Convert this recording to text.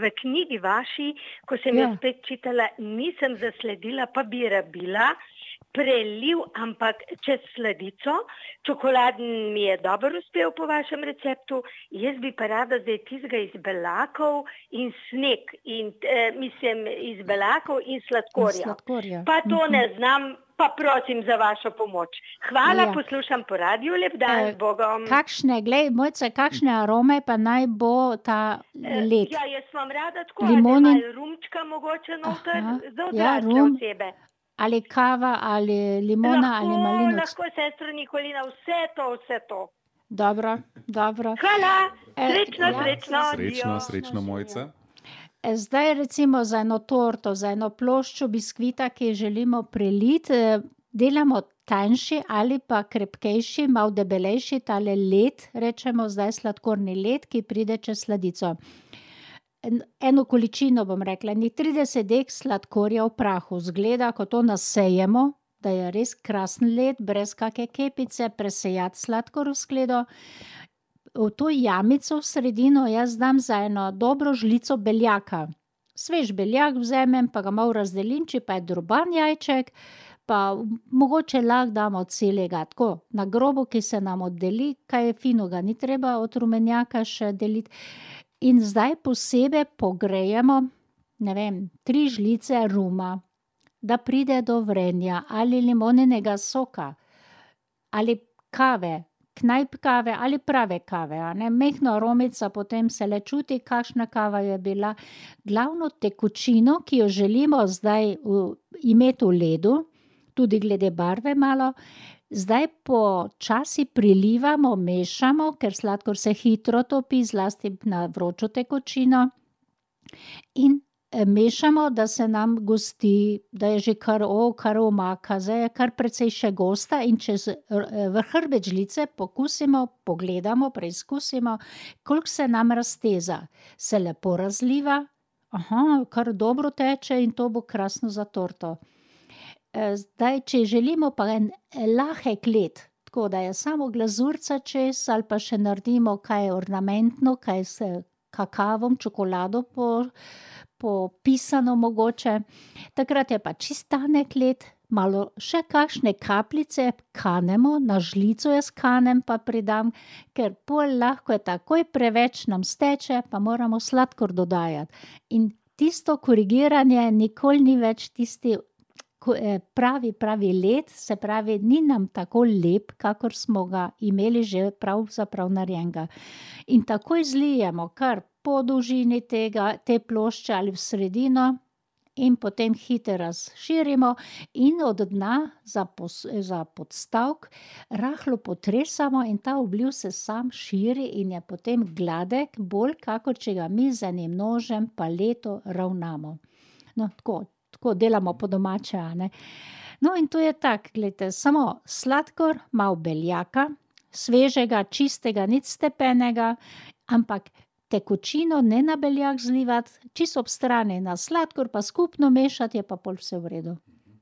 V knjigi vaši, ko sem jo spet čitala, nisem zasledila, pa bi rabila preliv, ampak čez sladico. Čokoladen mi je dobro uspel po vašem receptu. Jaz bi pa rada zdaj tistega iz belakov in sneg. Iz belakov in sladkorja. Pa to ne znam, pa prosim za vašo pomoč. Hvala, poslušam po radiju, lep dan, z Bogom. Mojca, kakšne arome pa naj bo ta led? Jaz vam rada tako, malo rumčka mogoče noter, za odrasle osebe. Ali kava, ali limona, ali malinac. Lahko, sestra Nikolina, vse to. Dobro. Hvala, Srečno, Mojca. Zdaj recimo za eno torto, za eno ploščo biskvita, ki želimo preliti, delamo tanjši ali pa krepkejši, malo debelejši tale led, rečemo zdaj sladkorni led, ki pride čez sladico. Eno količino, bom rekla, 30 dek sladkorja v prahu. Zgleda, ko to nasejemo, da je res krasen led, brez kake kepice, presejati sladkor v skledo. V to jamico v sredino jaz dam za eno dobro žlico beljaka. Svež beljak vzamem, pa ga malo razdelim, če pa je droban jajček, pa mogoče lahko damo celega, tako, na grobo, ki se nam oddeli, kaj finega ni treba od rumenjaka še deliti. In zdaj posebej pogrejemo, 3 žlice ruma, da pride do vrenja, ali limoninega soka, ali kave, knajp kave ali prave kave, Majhna aromica, potem se le čuti, kakšna kava je bila. Glavno tekočino, ki jo želimo zdaj imeti v ledu, tudi glede barve malo, zdaj počasi prilivamo, mešamo, ker sladkor se hitro topi, zlasti na vročo tekočino. In mešamo, da se nam gosti, da je že kar omaka, zdaj je kar precej še gosta in čez hrbet žlice pokusimo, pogledamo, preizkusimo, koliko se nam razteza. Se lepo razliva, kar dobro teče in to bo krasno za torto. Zdaj, če želimo pa en lahek led, tako da je samo glazurica čez, ali pa še naredimo kaj ornamentno, kaj s kakavom, čokolado popisano mogoče, takrat je pa čisto tanek led, malo še kakšne kapljice kanemo, na žlico jaz kanem pa pridam, ker pol lahko je takoj preveč nam steče, pa moramo sladkor dodajati. In tisto korigiranje nikoli ni več tisti pravi led, se pravi, ni nam tako lep, kakor smo ga imeli že pravzaprav narejenega. In takoj zlijemo kar po dolžini te plošče ali v sredino in potem hitro razširimo in od dna za podstavek rahlo potresamo in ta obliv se sam širi in je potem gladek, bolj kakor če ga mi z enim nožem paleto ravnamo. No, tako delamo po domače, No, in to je tako, glejte, samo sladkor, malo beljaka, svežega, čistega, nič stepenega, ampak tekočino ne na beljak zlivati, čisto ob strani, na sladkor pa skupno mešati, je pa pol vse v redu.